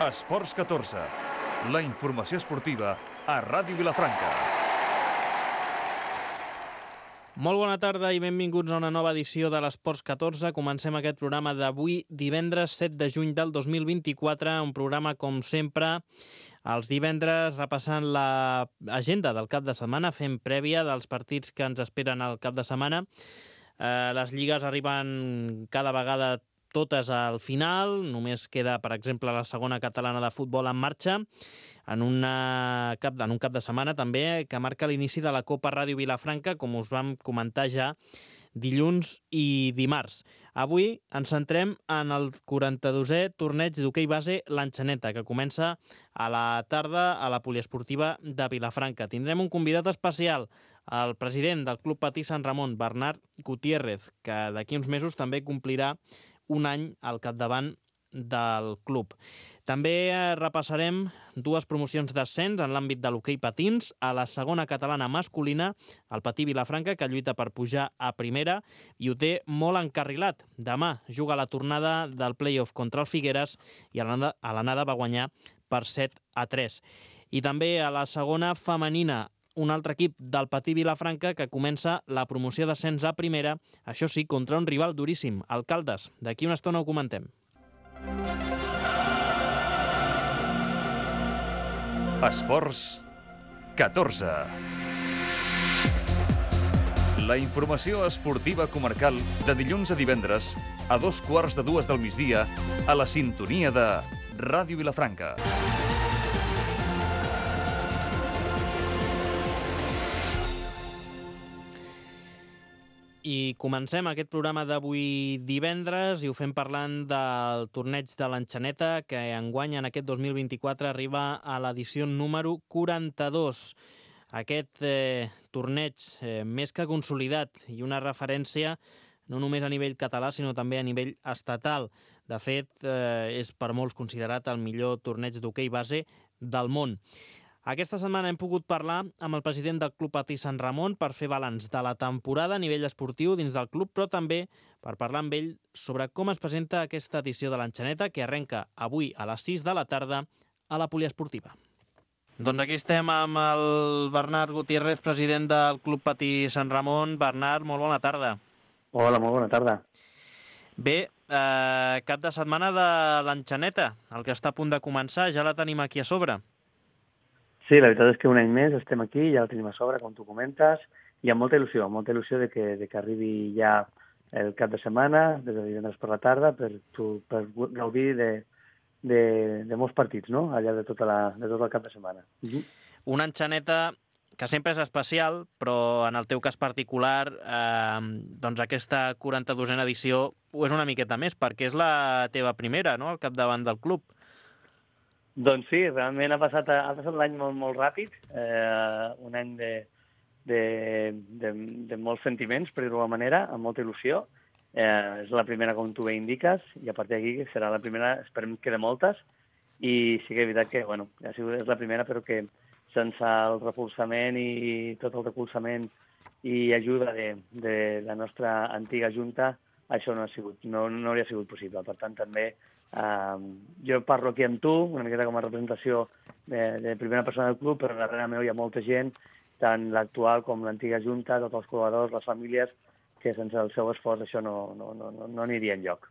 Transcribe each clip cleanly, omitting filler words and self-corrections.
Esports 14, la informació esportiva a Ràdio Vilafranca. Molt bona tarda i benvinguts a una nova edició de l'Esports 14. Comencem aquest programa d'avui, divendres 7 de juny del 2024, un programa, com sempre, els divendres repassant l'agenda del cap de setmana, fent prèvia dels partits que ens esperen al cap de setmana. Les lligues arriben cada vegada totes al final, només queda, per exemple, la segona catalana de futbol en marxa, en un cap de setmana també, que marca l'inici de la Copa Ràdio Vilafranca, com us vam comentar ja dilluns i dimarts. Avui ens centrem en el 42è torneig d'hoquei base L'Enxaneta, que comença a la tarda a la poliesportiva de Vilafranca. Tindrem un convidat especial, el president del Club Patí Sant Ramon, Bernat Gutiérrez, que d'aquí uns mesos també complirà un any al capdavant del club. També repassarem dues promocions d'ascens en l'àmbit de l'hoquei patins. A la segona catalana masculina, el Patí Vilafranca, que lluita per pujar a primera i ho té molt encarrilat. Demà juga la tornada del play-off contra el Figueres i a l'anada va guanyar per 7-3. I també a la segona femenina, un altre equip del Patí Vilafranca que comença la promoció d'ascens a primera, això sí, contra un rival duríssim, el Caldes. D'aquí una estona ho comentem. Esports 14. La informació esportiva comarcal de dilluns a divendres a 2:15 del migdia a la sintonia de Ràdio Vilafranca. I comencem aquest programa d'avui divendres i ho fem parlant del torneig de l'Enxaneta, que enguany en aquest 2024 arriba a l'edició número 42. Aquest torneig més que consolidat i una referència no només a nivell català, sinó també a nivell estatal. De fet, és per molts considerat el millor torneig d'hoquei base del món. Aquesta setmana hem pogut parlar amb el president del Club Patí Sant Ramon per fer balanç de la temporada a nivell esportiu dins del club, però també per parlar amb ell sobre com es presenta aquesta edició de l'Enxaneta, que arrenca avui a les 6 de la tarda a la poliesportiva. Doncs aquí estem amb el Bernat Gutiérrez, president del Club Patí Sant Ramon. Bernat, molt bona tarda. Hola, molt bona tarda. Bé, cap de setmana de l'Enxaneta, el que està a punt de començar, ja la tenim aquí a sobre. Sí, la veritat és que un any més estem aquí, ja la tenim a sobre, com tu comentes, i amb molta il·lusió de que arribi ja el cap de setmana, des de divendres per la tarda, per gaudir de molts partits, no?, allà de tot el cap de setmana. Una Enxaneta que sempre és especial, però en el teu cas particular, doncs aquesta 42a edició ho és una miqueta més, perquè és la teva primera, no?, al capdavant del club. Doncs sí, realment ha passat l'any molt, molt ràpid, un any de molts sentiments, per dir-ho d'alguna manera, amb molta il·lusió. És la primera, com tu bé indiques, i a partir d'aquí serà la primera, esperem que de moltes, i sí que és veritat que, bueno, és la primera, però que sense el recolzament i tot el recolzament i ajuda de la nostra antiga junta, això no hauria sigut possible. Per tant, també jo parlo aquí amb tu, una miqueta com a representació de primera persona del club, però darrere meu hi ha molta gent, tant l'actual com l'antiga junta, tots els col·laboradors, les famílies, que sense el seu esforç això no aniria enlloc.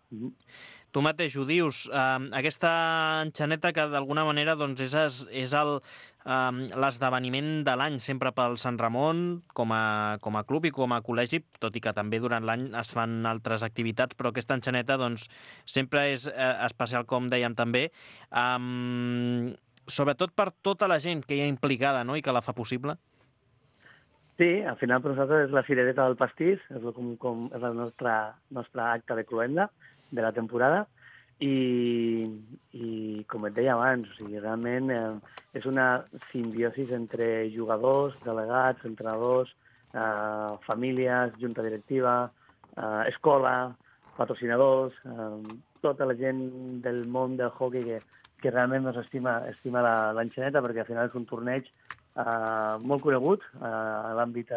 Tu mateix ho dius, aquesta Enxaneta que d'alguna manera doncs, és l'esdeveniment de l'any sempre pel Sant Ramon com a club i com a col·legi, tot i que també durant l'any es fan altres activitats, però aquesta Enxaneta doncs, sempre és especial, com dèiem també, sobretot per tota la gent que hi ha implicada, no?, i que la fa possible. Sí, al final per nosaltres és la cirereta del pastís, és el nostre acte de cloenda de la temporada, i com et deia abans, o sigui, realment és una simbiosi entre jugadors, delegats, entrenadors, famílies, junta directiva, escola, patrocinadors, tota la gent del món del hockey que realment estima l'Enxaneta, perquè al final és un torneig molt conegut a l'àmbit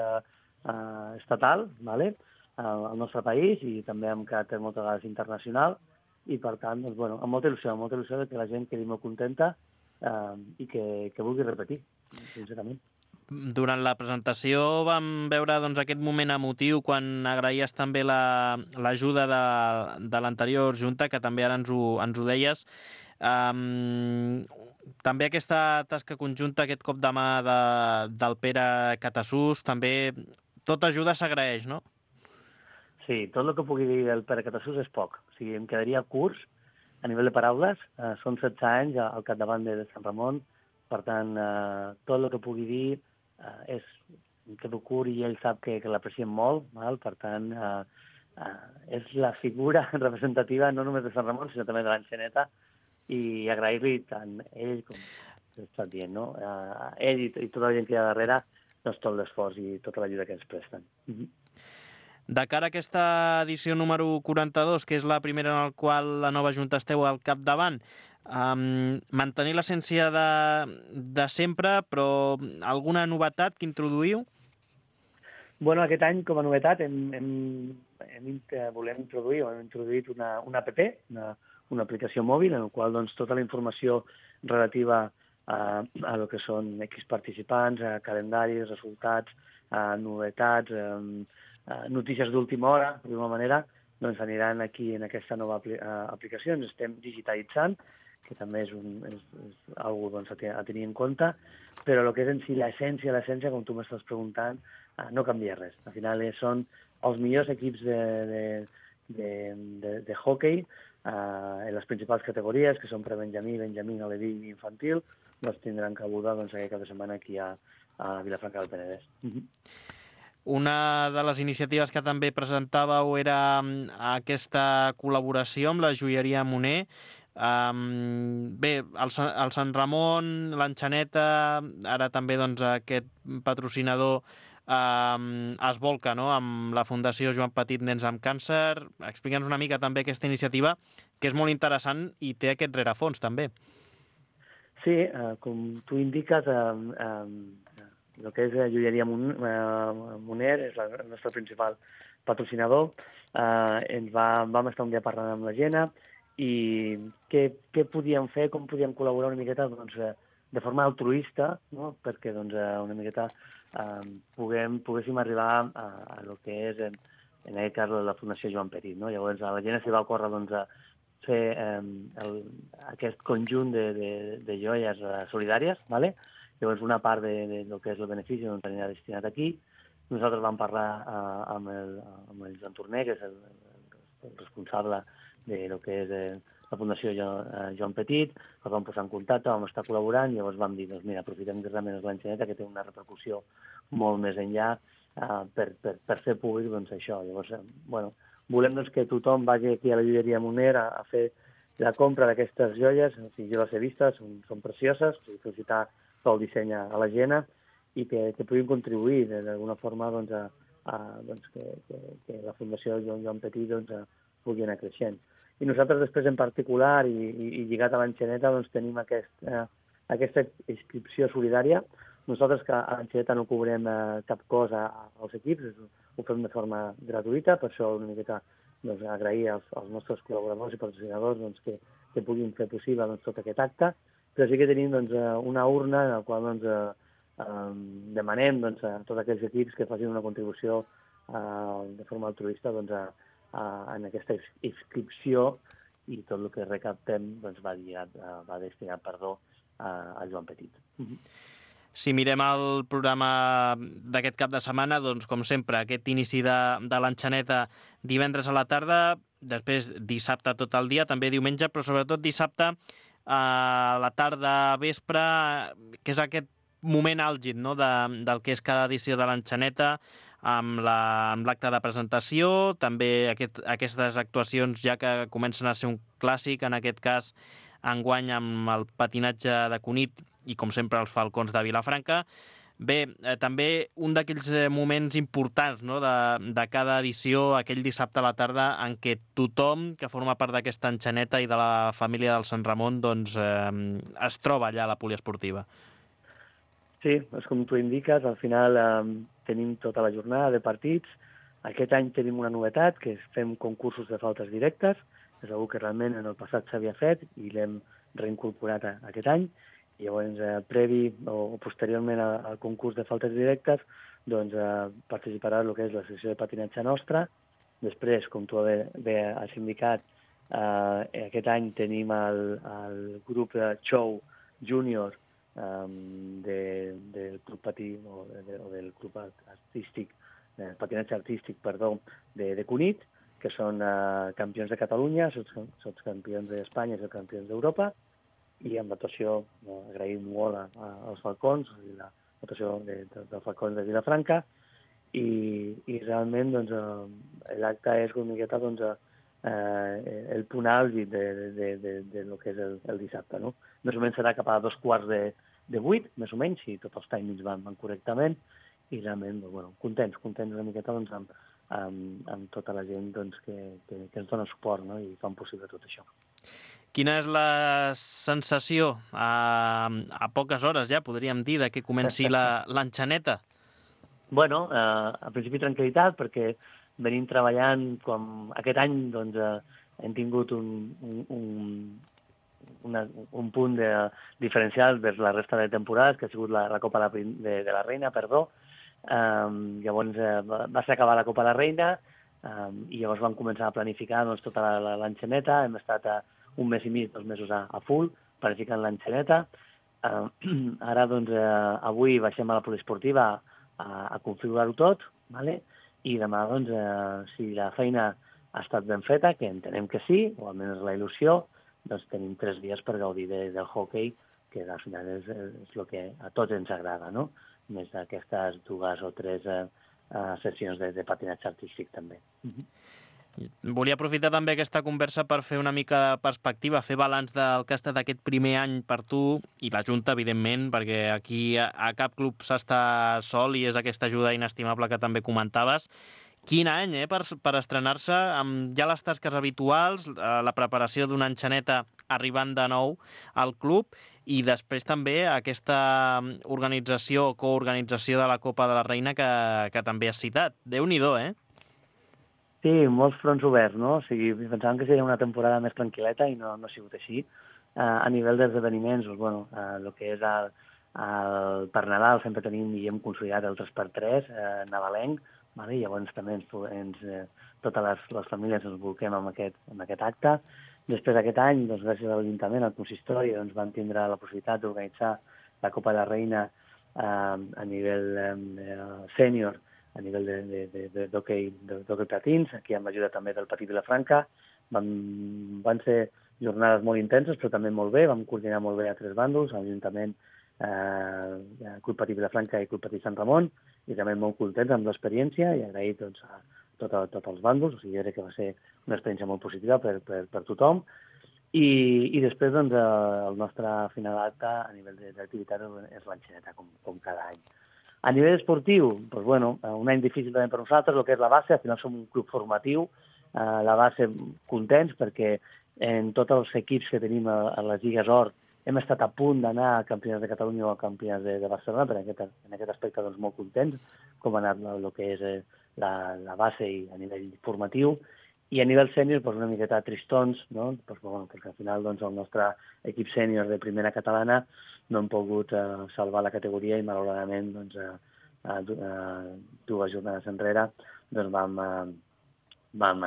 estatal, al nostre país, i també amb caràcter moltes vegades internacional, i per tant, doncs, bueno, amb molta il·lusió que la gent quedi molt contenta i que vulgui repetir, sincerament. Durant la presentació vam veure doncs, aquest moment emotiu quan agraïes també l'ajuda de l'anterior junta, que també ara ens ho deies. També aquesta tasca conjunta, aquest cop de mà del Pere Catasús, també tota ajuda s'agraeix, no? Sí, tot el que pugui dir el Pere Catasús és poc. O sigui, em quedaria curts a nivell de paraules. Són 16 anys al capdavant de Sant Ramon, per tant, tot el que pugui dir és que curt i ell sap que l'apreciem molt, val? Per tant, és la figura representativa no només de Sant Ramon, sinó també de l'Enxaneta, i agrair-li tant ell com estàs dient, no? Ell i tota la gent que hi ha darrere, doncs tot l'esforç i tota l'ajuda que ens presten. De cara a aquesta edició número 42, que és la primera en la qual la nova Junta esteu al capdavant, mantenir l'essència de sempre, però alguna novetat que introduïu? Bueno, aquest any, com a novetat, volem introduir, hem introduït una app, una aplicació mòbil, en la qual doncs, tota la informació relativa a lo que són equips participants, calendaris, resultats, novetats, notícies d'última hora, d'alguna manera, doncs aniran aquí en aquesta nova aplicació. Ens estem digitalitzant, que també és algo doncs, a tenir en compte, però el que és en si l'essència, com tu m'estàs preguntant, no canvia res. Al final són els millors equips de hockey en les principals categories, que són prebenjamí, benjamí, aleví i infantil, doncs tindran cabuda aquest cap de setmana aquí a Vilafranca del Penedès. Una de les iniciatives que també presentàveu era aquesta col·laboració amb la joieria Moner. Bé, el Sant Ramon, l'Enxaneta, ara també doncs, aquest patrocinador es volca, no?, amb la Fundació Joan Petit Nens amb Càncer. Explica'ns una mica també aquesta iniciativa, que és molt interessant i té aquest rerefons també. Sí, com tu indiques, el que és la joieria Moner és el nostre principal patrocinador. Vam estar un dia parlant amb la Gena i què podíem fer, com podíem col·laborar una miqueta doncs, de forma altruista, no? Perquè doncs, una miqueta poguéssim arribar a lo que és, en aquest cas, la Fundació Joan Petit. No? Llavors, a la Gena s'hi va ocórrer doncs, fer aquest conjunt de joies solidàries, ¿vale? Llavors una part del que és el benefici doncs, anirà destinat aquí. Nosaltres vam parlar amb el Joan Torner, que és el responsable de lo que és la Fundació Joan Petit, els vam posar en contacte, vam estar col·laborant i llavors vam dir, doncs mira, aprofitem que realment és l'Enxaneta, que té una repercussió molt més enllà per fer públic doncs, això. Llavors, bueno, volem doncs, que tothom vagi aquí a la joieria Moner a fer la compra d'aquestes joies, o sigui, jo les he vistes, són precioses, o sigui, felicitar pel disseny a la Gena i que puguin contribuir d'alguna forma doncs, que la Fundació Joan Petit doncs, pugui anar creixent. I nosaltres després en particular i lligat a l'Enxaneta doncs, tenim aquesta inscripció solidària. Nosaltres que a l'Enxaneta no cobrem cap cosa als equips, ho fem de forma gratuïta, per això una miqueta doncs, agrair als nostres col·laboradors i patrocinadors doncs, que puguin fer possible doncs, tot aquest acte, però sí que tenim doncs, una urna en la qual doncs, demanem doncs, a tots aquells equips que facin una contribució de forma altruista doncs, en aquesta inscripció i tot el que recaptem doncs, va destinat a Joan Petit. Si mirem el programa d'aquest cap de setmana, doncs, com sempre, aquest inici de l'Enxaneta divendres a la tarda, després dissabte tot el dia, també diumenge, però sobretot dissabte a la tarda, vespre, que és aquest moment àlgid, no?, del que és cada edició de l'Enxaneta, amb l'acte de presentació, també aquestes actuacions ja que comencen a ser un clàssic, en aquest cas enguany amb el patinatge de Cunit i, com sempre, els Falcons de Vilafranca. Bé, també un d'aquells moments importants, no?, de cada edició, aquell dissabte a la tarda, en què tothom que forma part d'aquesta Enxaneta i de la família del Sant Ramon doncs, es troba allà a la poliesportiva. Sí, és com tu indiques, al final tenim tota la jornada de partits, Aquest any tenim una novetat, que és fem concursos de faltes directes, és una que realment en el passat s'havia fet i l'hem reincorporat aquest any. I llavors, previ o posteriorment al concurs de faltes directes, doncs participarà el que és la secció de patinatge nostra. Després, com tu bé has indicat, aquest any tenim el grup de show júnior del club patí o del club artístic, patinatge artístic, perdó, de Cunit, que són campions de Catalunya, són campions d'Espanya i són campions d'Europa, i amb l'actuació agraïm molt als Falcons, l'actuació dels Falcons de Vilafranca, i realment doncs, l'acte és una miqueta el punt àlgid de lo que és el dissabte. No? Més o menys serà cap a 7:45, més o menys, si tots els timings van correctament, i realment contents una miqueta amb tota la gent que ens dona suport, no? I fan possible tot això. Quina és la sensació a poques hores ja, podríem dir, de que comenci l'enxaneta? Bueno, a principi tranquil·litat, perquè venim treballant, com aquest any doncs, hem tingut un punt diferencial vers la resta de temporades, que ha sigut la Copa de la Reina, perdó. Llavors va ser acabar la Copa de la Reina i llavors vam començar a planificar tota l'enxaneta. Hem estat un mes i mig, 2 mesos a full, planificant l'enxaneta. Ara, doncs, avui baixem a la poliesportiva a configurar-ho tot, ¿vale? I demà, doncs, si la feina ha estat ben feta, que entenem que sí, o almenys la il·lusió, doncs tenim 3 dies per gaudir del hockey, que al final és el que a tots ens agrada, no? Més d'aquestes 2 o 3 sessions de patinatge artístic, també. Volia aprofitar també aquesta conversa per fer una mica de perspectiva, fer balanç del que ha estat aquest primer any per tu i la Junta, evidentment, perquè aquí a cap club s'està sol i és aquesta ajuda inestimable que també comentaves. Quin any, per estrenar-se amb ja les tasques habituals, la preparació d'una enxaneta arribant de nou al club i després també aquesta organització o coorganització de la Copa de la Reina que també has citat. Déu-n'hi-do, Sí, molts fronts oberts, no? O sigui, pensàvem que seria una temporada més tranquil·leta i no ha sigut així. A nivell d'esdeveniments, doncs, el que és per Nadal sempre tenim i hem consolidat el 3x3 nadalenc, vale? Llavors també totes les famílies ens volquem amb aquest acte. Després d'aquest any, doncs, gràcies a l'Ajuntament, al consistori, doncs, vam tindre la possibilitat d'organitzar la Copa de la Reina a nivell sènior, a nivell d'hoquei patins, aquí amb l'ajuda també del Patí Vilafranca. Van ser jornades molt intenses, però també molt bé, vam coordinar molt bé a 3 bàndols, l'Ajuntament, Club Patí Vilafranca i Club Patí Sant Ramon, i també molt contents amb l'experiència i agraït a tots els bàndols, o sigui, jo crec que va ser una experiència molt positiva per tothom. I després, doncs, el nostre final acte a nivell d'activitat és l'enxaneta, com cada any. A nivell esportiu, doncs, un any difícil també per nosaltres, el que és la base, al final som un club formatiu, la base contents perquè en tots els equips que tenim a les Lligues Or hem estat a punt d'anar a campionats de Catalunya o a campionats de Barcelona, però en aquest aspecte doncs, molt contents com ha anat el que és la base i a nivell formatiu. I a nivell sènior, doncs, una miqueta tristons, no? Perquè al final doncs, el nostre equip sènior de primera catalana no hem pogut salvar la categoria i malauradament doncs, 2 jornades enrere doncs, vam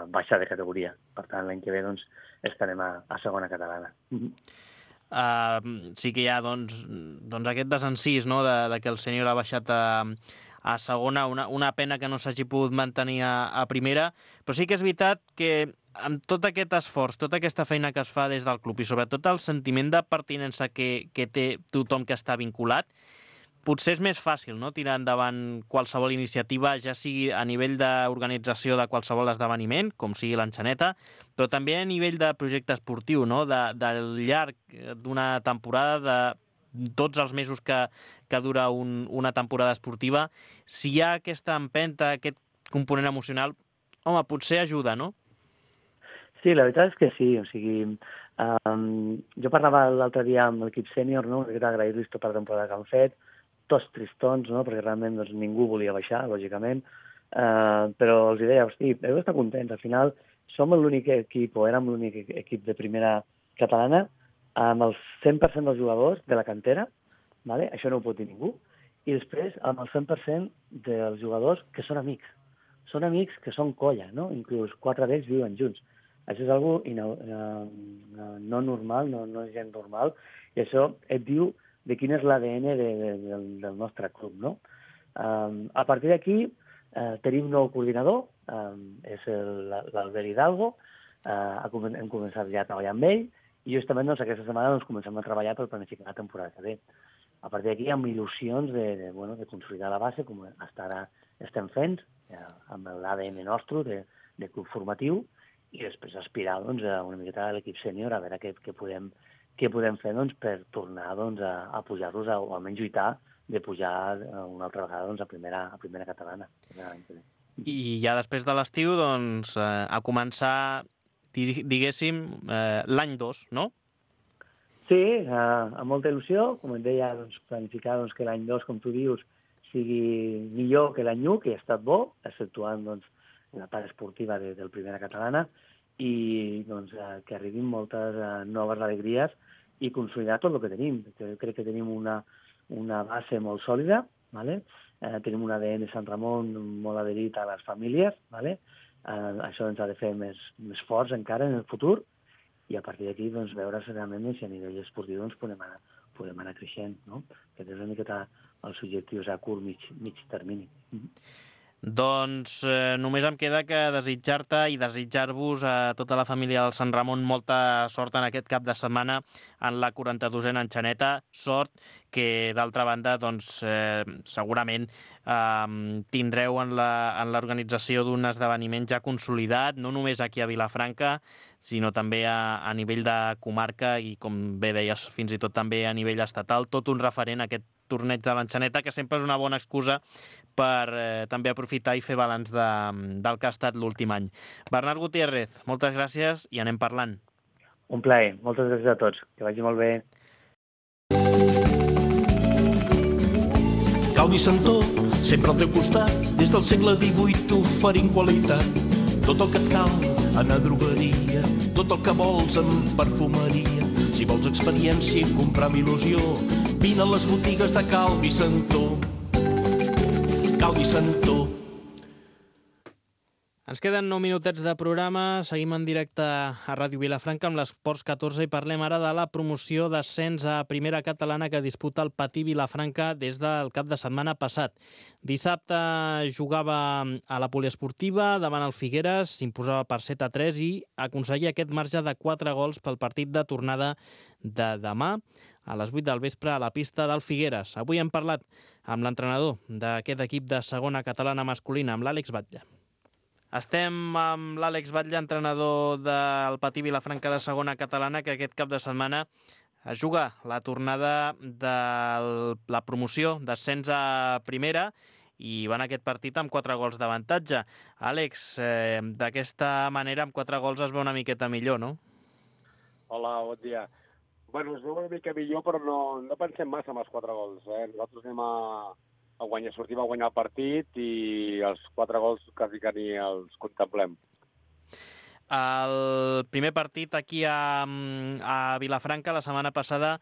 baixar de categoria. Per tant, l'any que ve doncs, estarem a segona catalana. Sí que hi ha doncs, aquest desencís, no?, de que el sènior ha baixat a segona, una pena que no s'hagi pogut mantenir a primera, però sí que és veritat que amb tot aquest esforç, tota aquesta feina que es fa des del club i sobretot el sentiment de pertinença que té tothom que està vinculat, potser és més fàcil, no?, tirar endavant qualsevol iniciativa, ja sigui a nivell d'organització de qualsevol esdeveniment, com sigui l'enxaneta, però també a nivell de projecte esportiu, no?, del llarg d'una temporada, de tots els mesos que dura una temporada esportiva. Si hi ha aquesta empenta, aquest component emocional, home, potser ajuda, no? Sí, la veritat és que sí. O sigui, jo parlava l'altre dia amb l'equip sènior, no?, que era agrair-los tota la temporada que han fet, tots tristons, no?, perquè realment doncs, ningú volia baixar, lògicament. però els deia, hosti, heu d'estar contents. Al final som l'únic equip, o érem l'únic equip de primera catalana, amb el 100% dels jugadors de la cantera, vale? Això no ho pot dir ningú, i després amb el 100% dels jugadors que són amics. Són amics que són colla, no? Inclús 4 d'ells viuen junts. Això és algo no normal, no és gent normal, i això et diu de quin és l'ADN del nostre club, no? A partir d'aquí tenim un nou coordinador, és l'Albert Hidalgo, hem començat ja a treballar amb ell, i justament aquesta setmana comencem a treballar per planificar la temporada que ve. A partir d'aquí, amb il·lusions de consolidar la base, com fins ara estem fent, amb l'ADN nostre de club formatiu, i després aspirar una miqueta a l'equip sènior, a veure què podem fer per tornar a pujar-los, o almenys lluitar de pujar una altra vegada a primera catalana. I ja després de l'estiu, a començar, diguéssim, l'any 2, no? Sí, amb molta il·lusió, com et deia, planificar que l'any 2, com tu dius, sigui millor que l'any 1, que ha estat bo, exceptuant la part esportiva del primera catalana, i que arribin moltes noves alegries i consolidar tot el que tenim. Crec que tenim una base molt sòlida, ¿vale? Tenim un ADN Sant Ramon molt adherit a les famílies, ¿vale? Això ens ha de fer més forts encara en el futur, i a partir d'aquí veure realment si a nivell esportiu podem anar creixent, no? Aquest és una miqueta els objectius a curt, mig termini. Doncs només em queda que desitjar-te i desitjar-vos a tota la família del Sant Ramon molta sort en aquest cap de setmana en la 42a enxaneta. Sort que, d'altra banda, segurament tindreu en l'organització d'un esdeveniment ja consolidat, no només aquí a Vilafranca, sinó també a nivell de comarca i, com bé deies, fins i tot també a nivell estatal, tot un referent a aquest torneig de l'enxaneta, que sempre és una bona excusa per també aprofitar i fer balanç del que ha estat l'últim any. Bernat Gutiérrez, moltes gràcies i anem parlant. Un plaer. Moltes gràcies a tots. Que vagi molt bé. Calvi Santó, sempre al teu costat, des del segle XVIII oferint qualitat. Tot el que et cal en a drogueria, tot el que vols en perfumeria. Si vols experiència i comprar amb il·lusió, vine a les botigues de Calvi Santó. Calvi Santó. Ens queden 9 minutets de programa, seguim en directe a Ràdio Vilafranca amb l'Esports 14 i parlem ara de la promoció d'ascens a primera catalana que disputa el Patí Vilafranca des del cap de setmana passat. Dissabte jugava a la poliesportiva davant el Figueres, s'imposava per 7-3 i aconseguia aquest marge de 4 gols pel partit de tornada de demà a les 8 del vespre a la pista del Figueres. Avui hem parlat amb l'entrenador d'aquest equip de segona catalana masculina, amb l'Àlex Batlle. Estem amb l'Àlex Batlle, entrenador del Patí Vilafranca de segona catalana, que aquest cap de setmana es juga la tornada de la promoció d'ascens a primera i van aquest partit amb 4 gols d'avantatge. Àlex, d'aquesta manera, amb 4 gols es veu una miqueta millor, no? Hola, bon dia. Bueno, es veu una mica millor, però no pensem massa amb els 4 gols. Nosaltres anem sortim a guanyar el partit i els 4 gols quasi que ni els contemplem. El primer partit aquí a Vilafranca la setmana passada,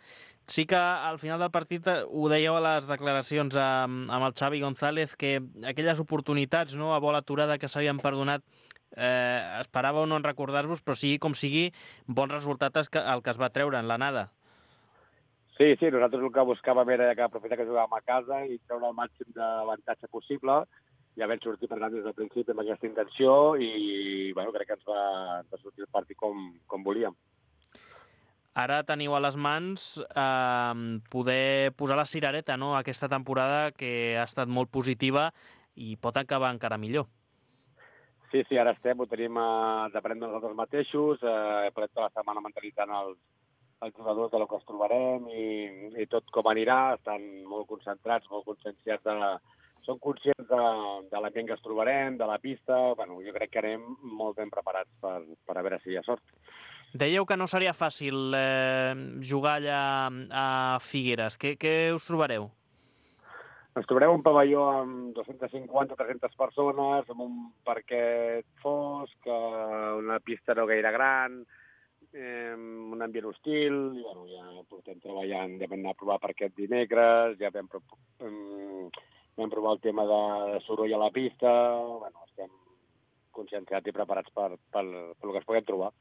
sí que al final del partit ho dèieu a les declaracions amb el Xavi González, que aquelles oportunitats, no, a bola aturada que s'havien perdonat, esperàveu no en recordar-vos, però sigui com sigui, bon resultat el que es va treure en l'anada. Sí, nosaltres el que buscàvem era que aprofitar que jugàvem a casa i treure el màxim d'avantatge possible. Ja vam sortir per tant des del principi amb aquesta intenció i crec que ens va sortir el partit com volíem. Ara teniu a les mans poder posar la cirereta, no?, aquesta temporada que ha estat molt positiva i pot acabar encara millor. Sí, ara estem, ho tenim d'aprendre nosaltres mateixos, parlem tota la setmana mentalitzant els jugadors de lo que ens trobarem i tot com anirà. Estan molt concentrats, molt conscienciats són conscients de l'ambient que ens trobarem, de la pista. Jo crec que anem molt ben preparats per a veure si hi ha sort. Dèieu que no seria fàcil jugar allà a Figueres. Què us trobareu? Ens trobarem un pavelló amb 250-300 persones, amb un parquet fosc, una pista no gaire gran, un ambient hostil, i bueno, ja portem treballant, ja vam anar a provar parquet dimecres, ja vam provar el tema de soroll a la pista, bueno, estem conscienciats i preparats per el que es puguem trobar.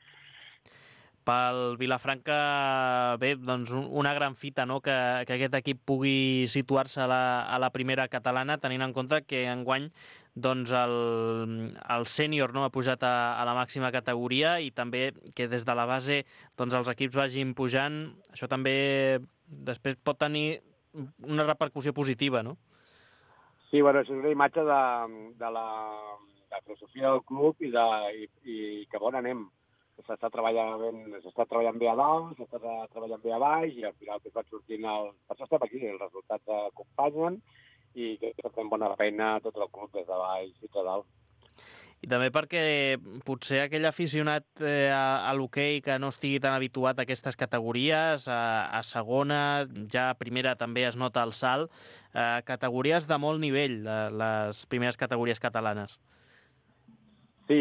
Pel Vilafranca, bé, doncs una gran fita, no?, que aquest equip pugui situar-se a la primera catalana, tenint en compte que enguany doncs el sènior, no?, ha pujat a la màxima categoria i també que des de la base doncs els equips vagin pujant. Això també després pot tenir una repercussió positiva, no? Sí, bueno, és una imatge de la filosofia del club i cap on anem. S'està treballant bé a dalt, s'està treballant bé a baix i al final van sortint per això estem aquí, els resultats acompanyen i que fem bona feina tot el club des de baix fins a dalt. I també perquè potser aquell aficionat a l'hoquei que no estigui tan habituat a aquestes categories, a segona, ja a primera també es nota el salt, categories de molt nivell, les primeres categories catalanes. Sí,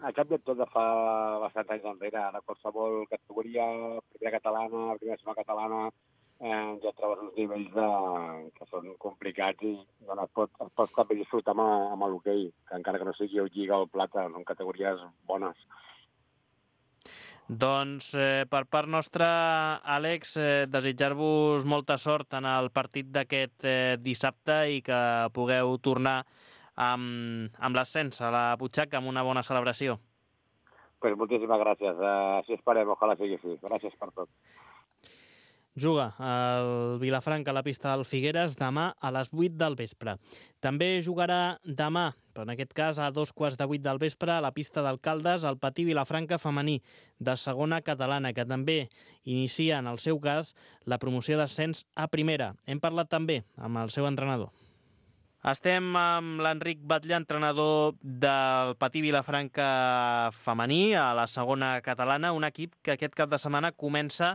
a cap de tot de fa bastants anys enrere. Ara qualsevol categoria, primera catalana, primera segona catalana, ja trobes uns nivells que són complicats i bueno, es pot també disfrutar amb l'hoquei, que encara que no sigui el Lliga o el Plata, són categories bones. Doncs per part nostra, Àlex, desitjar-vos molta sort en el partit d'aquest dissabte i que pugueu tornar amb l'ascens a la butxaca amb una bona celebració. Pues moltíssimes gràcies. Així esperem, ojalà sigui així. Gràcies per tot. Juga el Vilafranca a la pista del Figueres demà a les 8 del vespre. També jugarà demà, però en aquest cas a 2:15 del vespre, a la pista del Caldes, el Patí Vilafranca femení de segona catalana, que també inicia, en el seu cas, la promoció d'ascens a primera. Hem parlat també amb el seu entrenador. Estem amb l'Enric Batlle, entrenador del Patí Vilafranca femení a la segona catalana, un equip que aquest cap de setmana comença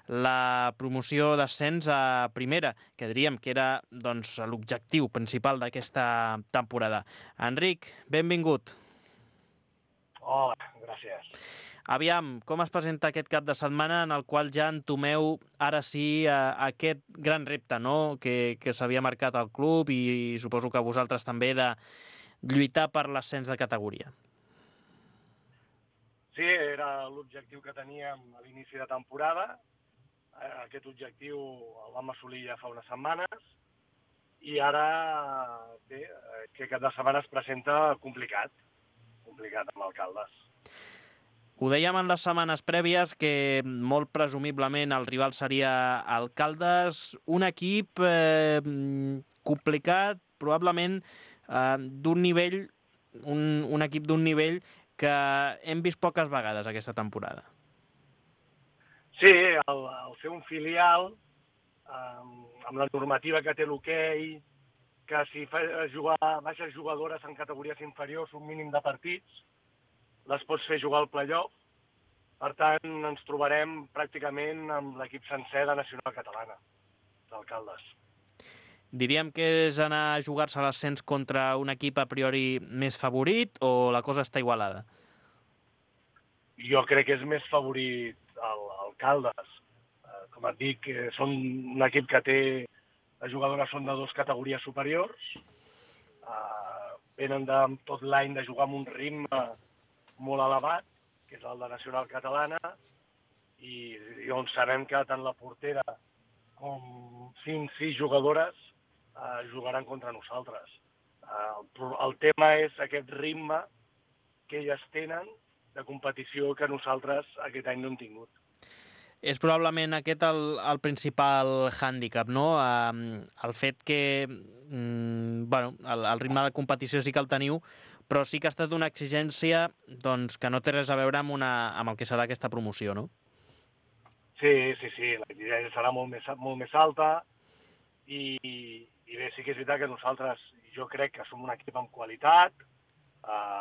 la promoció d'ascens a primera, que diríem que era doncs, l'objectiu principal d'aquesta temporada. Enric, benvingut. Hola, gràcies. Aviam, com es presenta aquest cap de setmana en el qual ja entomeu ara sí aquest gran repte, no?, que s'havia marcat al club i suposo que vosaltres també, de lluitar per l'ascens de categoria? Sí, era l'objectiu que teníem a l'inici de temporada. Aquest objectiu el vam assolir ja fa unes setmanes i ara, bé, aquest cap de setmana es presenta complicat amb el Caldes. Ho dèiem en les setmanes prèvies que molt presumiblement el rival seria el Caldes, un equip complicat, probablement d'un nivell, un equip d'un nivell que hem vist poques vegades aquesta temporada. Sí, el ser un filial, amb la normativa que té l'hoquei, que si fa jugar baixes jugadores en categories inferiors un mínim de partits, les pots fer jugar al playoff. Per tant, ens trobarem pràcticament amb l'equip sencer de Nacional Catalana, del Caldes. Diríem que és anar a jugar-se a l'ascens contra un equip a priori més favorit o la cosa està igualada? Jo crec que és més favorit el Caldes. Com et dic, són un equip que té... Les jugadores són de 2 categories superiors. Venen tot l'any de jugar amb un ritme molt elevat, que és el de Nacional Catalana, i on sabem que tant la portera com 5-6 jugadores jugaran contra nosaltres. El tema és aquest ritme que elles tenen de competició que nosaltres aquest any no hem tingut. És probablement aquest el principal hàndicap, no? El fet que el ritme de competició sí que el teniu, però sí que ha estat una exigència doncs, que no té res a veure amb el que serà aquesta promoció, no? Sí, l'exigència serà molt més alta i bé, sí que és veritat que nosaltres, jo crec que som un equip amb qualitat,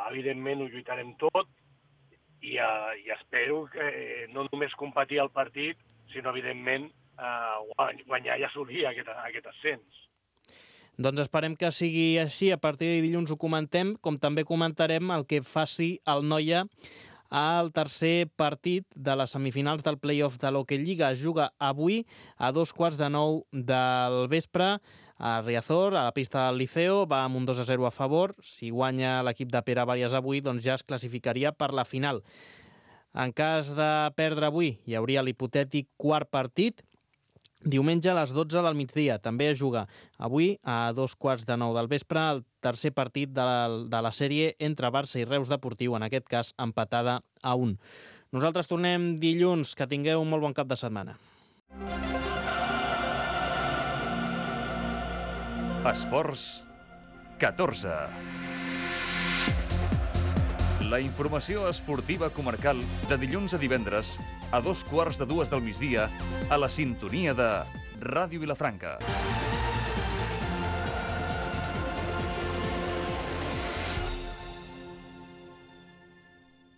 evidentment ho lluitarem tot, i espero que no només competir al partit, sinó, evidentment, guanyar i assolir aquest ascens. Doncs esperem que sigui així. A partir de dilluns ho comentem, com també comentarem el que faci el Noia al tercer partit de les semifinals del play-off de l'Hockey Lliga. Es juga avui a 8:45 del vespre a Riazor, a la pista del Liceo. Va amb un 2-0 a favor. Si guanya l'equip de Pere Bàrias avui, doncs ja es classificaria per la final. En cas de perdre avui, hi hauria l'hipotètic quart partit. Diumenge a les 12 del migdia. També es juga avui a 8:45 del vespre el tercer partit de la sèrie entre Barça i Reus Deportiu, en aquest cas empatada a 1. Nosaltres tornem dilluns. Que tingueu un molt bon cap de setmana. Esports 14. La informació esportiva comarcal de dilluns a divendres a 2:15 del migdia a la sintonia de Ràdio Vilafranca.